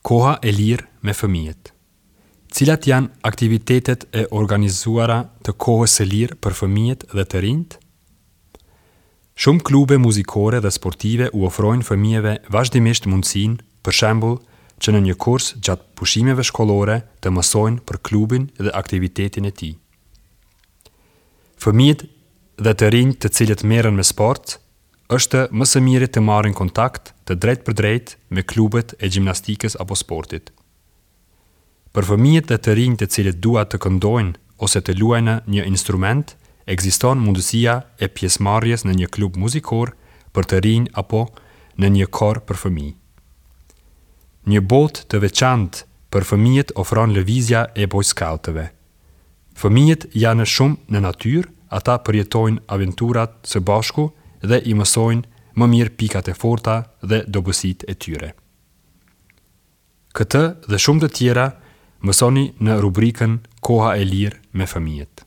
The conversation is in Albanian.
Koha e lirë me fëmijët. Cilat janë aktivitetet e organizuara të kohës së lirë për fëmijët dhe të rinjtë? Shumë klube muzikore dhe sportive u ofrojnë fëmijëve vazhdimisht mundësinë, për shembull, që në një kurs gjatë pushimeve shkollore të mësojnë për klubin dhe aktivitetin e tij. Fëmijët dhe të rinjtë të cilët merren me sport, është më së miri të marrin kontakt të drejtpërdrejtë me klubet e gjimnastikës apo sportit. Për fëmijët dhe të rinjtë të cilët duan të këndojnë ose të luajnë një instrument, ekziston mundësia e pjesëmarrjes në një klub muzikor për të rinj apo në një kor për fëmijë. Një botë të veçantë për fëmijët ofron lëvizja e bojskautëve. Fëmijët janë shumë në natyrë, ata përjetojnë aventurat së bashku dhe i mësojnë më mirë pikat e forta dhe dobësitë e tyre. Këtë dhe shumë të tjera mësoni në rubrikën Koha e lirë me fëmijët.